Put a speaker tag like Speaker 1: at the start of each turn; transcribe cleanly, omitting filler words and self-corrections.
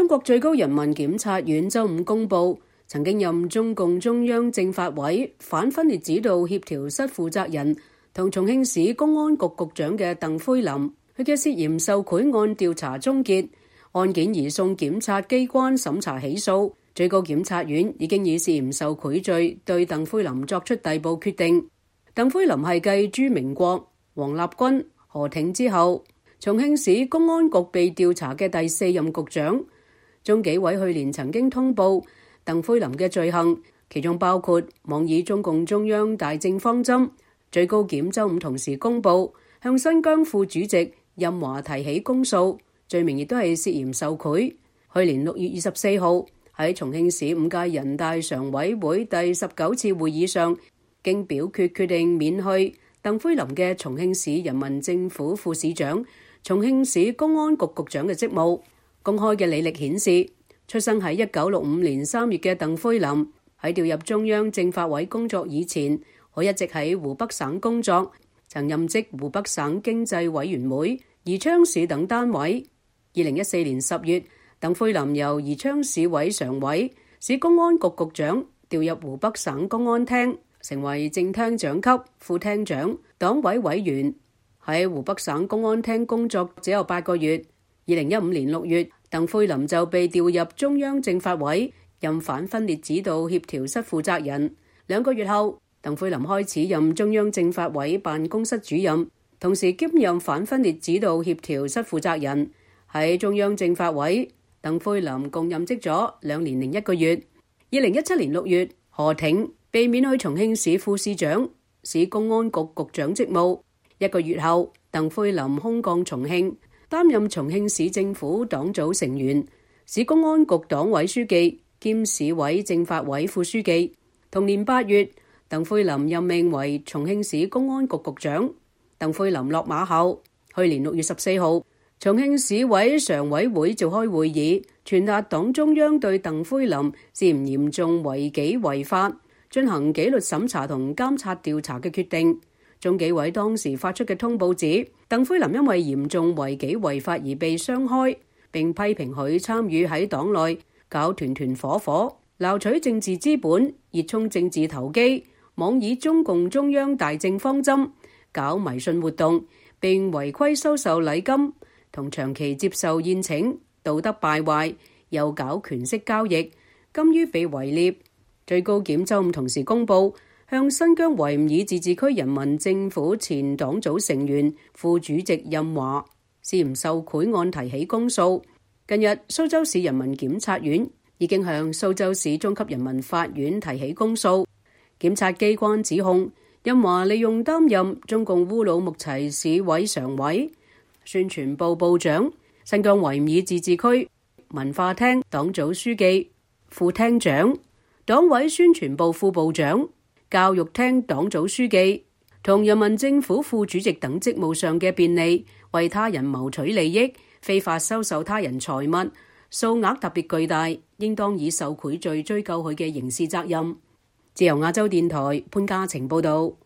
Speaker 1: 中國最高人民檢察院周五公布，曾經任中共中央政法委反分裂指導協調室負責人同重慶市公安局局長嘅鄧輝林，佢嘅涉嫌受賄案調查終結，案件移送檢察機關審查起訴。最高檢察院已經以涉嫌受賄罪對鄧輝林作出逮捕決定。鄧輝林係繼朱明國、王立軍、何挺之後，重慶市公安局被調查嘅第4任局長。中紀委去年曾經通報鄧輝林嘅罪行，其中包括妄議中共中央大政方針。最高檢周五同時公布向新疆副主席任華提起公訴，罪名亦都係涉嫌受賄。去年6月24號喺重慶市5屆人大常委會第19次會議上，經表決定免去鄧輝林嘅重慶市人民政府副市長、重慶市公安局局長嘅職務。公開嘅履歷顯示，出生喺1965年3月嘅鄧輝林喺調入中央政法委工作以前，佢一直喺湖北省工作，曾任職湖北省經濟委員會、宜昌市等單位。2014年10月，鄧輝林由宜昌市委常委、市公安局局長調入湖北省公安廳，成為正廳長級、副廳長、黨委委員。喺湖北省公安廳工作只有8個月。2015年6月，鄧輝林就被調入中央政法委，任反分裂指導協調室負責人。2個月後，鄧輝林開始任中央政法委辦公室主任，同時兼任反分裂指導協調室負責人。喺中央政法委，鄧輝林共任職咗2年零1個月。2017年6月，何挺被免去重慶市副市長、市公安局局長職務。1個月後，鄧輝林空降重慶，擔任重慶市政府黨組成員、市公安局黨委書記兼市委政法委副書記。同年8月，鄧輝林任命為重慶市公安局局長。鄧輝林落馬後，去年6月14號，重慶市委常委會召開會議，傳達黨中央對鄧輝林涉嫌嚴重違紀違法進行紀律審查同監察調查嘅決定。中紀委當時發出嘅通報指，鄧輝林因為嚴重違紀違法而被雙開，並批評佢參與喺黨內搞團團伙伙、撈取政治資本、熱衷政治投機、妄議中共中央大政方針、搞迷信活動，並違規收受禮金同長期接受宴請，道德敗壞，又搞權色交易，甘於被圍獵。最高檢周五同時公布，向新疆維吾爾自治區人民政府前黨組成員、副主席任華涉嫌受賄案提起公訴。近日，蘇州市人民檢察院已經向蘇州市中級人民法院提起公訴。檢察機關指控任華利用擔任中共烏魯木齊市委常委、宣傳部部長、新疆維吾爾自治區文化廳黨組書記、副廳長、黨委宣傳部副部長、教育廳黨組書記同人民政府副主席等職務上嘅便利，為他人謀取利益，非法收受他人財物，數額特別巨大，應當以受賄罪追究佢嘅刑事責任。自由亞洲電台潘嘉晴報道。